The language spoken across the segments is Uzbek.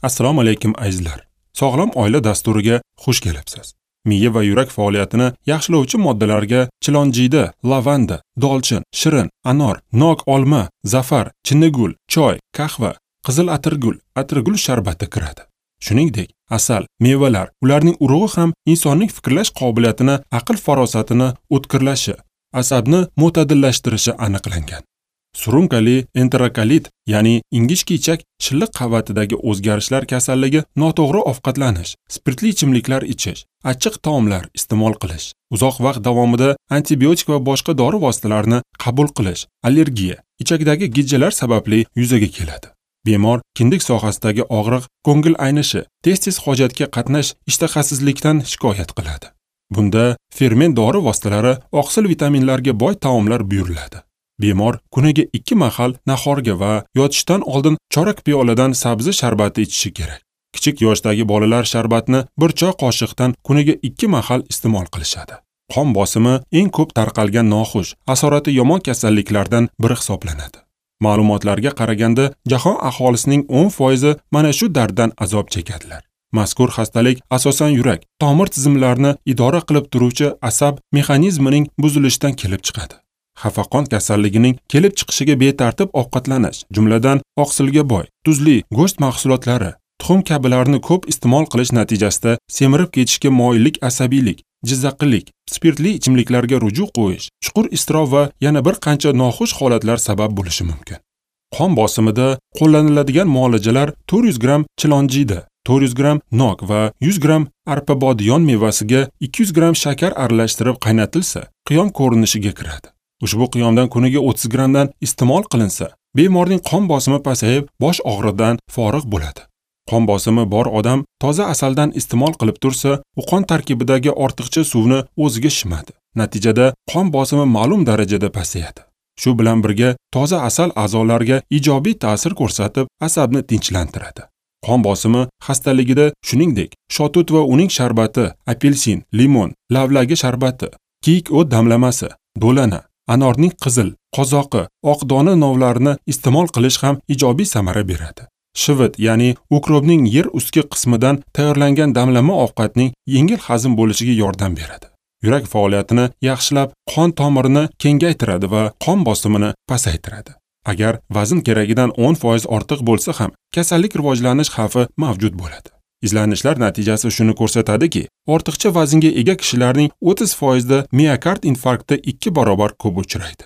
Assalomu alaykum azizlar. Sog'lom oila dasturiga xush kelibsiz. Miya va yurak faoliyatini yaxshilovchi moddalarga chilonjiyda, lavanda, dolchin, shirin, anor, nok olma, zafar, chinnigul, choy, qahva, qizil atirgul, atirgul sharbati kiradi. Shuningdek, asal, mevalar, ularning urug'i ham insonning fikrlash qobiliyatini, aql farosatini o'tkirlashi, asabni mo'tadillashtirishi aniqlangan. Surunkali enterokolit, ya'ni ingichka ichak shilliq qavatidagi o'zgarishlar kasalligi noto'g'ri ovqatlanish, spirtli ichimliklar ichish, achchiq taomlar iste'mol qilish, uzoq vaqt davomida antibiotik va boshqa dori vositalarini qabul qilish, allergiya, ichakdagi gijjalar sababli yuzaga keladi. Bemor kindik sohasidagi og'riq, ko'ngil aynishi, tez-tez hojatga qatnash, ishtahasizlikdan shikoyat qiladi. Bunda ferment dori vositalari, oqsil vitaminlarga boy taomlar buyuriladi. Bemor kuniga 2 mahal nahorga va yotishdan oldin chorak piyoladan sabzi sharbati ichishi kerak. Kichik yoshdagi bolalar sharbatni 1 choy qoshiqdan kuniga 2 mahal iste'mol qilishadi. Qon bosimi eng ko'p tarqalgan noxush, asorati yomon kasalliklardan biri hisoblanadi. Ma'lumotlarga qaraganda, jahon aholisining 10% mana shu darddan azob chekadilar. Mazkur xastalik asosan yurak, tomir tizimlarini idora qilib turuvchi asab mexanizmining buzilishidan kelib chiqadi. Xafaqon kasalligining kelib chiqishiga betartib ovqatlanish, jumladan oqsilga boy, tuzli go'sht mahsulotlari, tuxum kabilarni ko'p iste'mol qilish natijasida semirib ketishga moyillik, asabiylik, jizzaqlik, spirtli ichimliklarga ruju qo'yish, chuqur iztirob va yana bir qancha noxush holatlar sabab bo'lishi mumkin. Qon bosimida qo'llaniladigan muolajalar 400 gramm chilonjiyda, 400 gramm nok va 100 gramm arpabodiyon mevasiga 200 gramm shakar aralashtirib qaynatilsa, qiyom ko'rinishiga kiradi. Ushbu qiyomdan kuniga 30 grammdan iste'mol qilinsa, bemorning qon bosimi pasayib, bosh og'rig'idan forig' bo'ladi. Qon bosimi bor odam toza asaldan iste'mol qilib tursa, u qon tarkibidagi ortiqcha suvni o'ziga shimadi. Natijada qon bosimi ma'lum darajada pasayadi. Shu bilan birga toza asal a'zolarga ijobiy ta'sir ko'rsatib, asabni tinchlantiradi. Qon bosimi xastaligida shuningdek, shotut va uning sharbati, apelsin, limon, lavlagi sharbati, kiyik o't damlamasi, do'lana, anorning qizil, qozoqi, oq dona novlarini iste'mol qilish ham ijobiy samara beradi. Shivit, ya'ni ukropning yer ustki qismidan tayyorlangan damlama ovqatning yengil hazm bo'lishiga yordam beradi. Yurak faoliyatini yaxshilab, qon tomirini kengaytiradi va qon bosimini pasaytiradi. Agar vazn keragidan 10% ortiq bo'lsa ham, kasallik rivojlanish xavfi mavjud bo'ladi. Izlanishlar natijasi shuni ko'rsatadiki, ortiqcha vaznga ega kishilarning 30% da miokard infarkti 2 barobar ko'p uchraydi.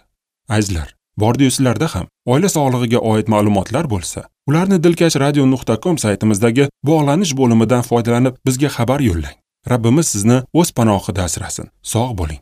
Azizlar, bordi-yu sizlarda ham oila sog'lig'iga oid ma'lumotlar bo'lsa, ularni dilkashradio.com saytimizdagi bog'lanish bo'limidan foydalanib bizga xabar yo'llang. Rabbimiz sizni o'z panohida asrasin. Sog' bo'ling.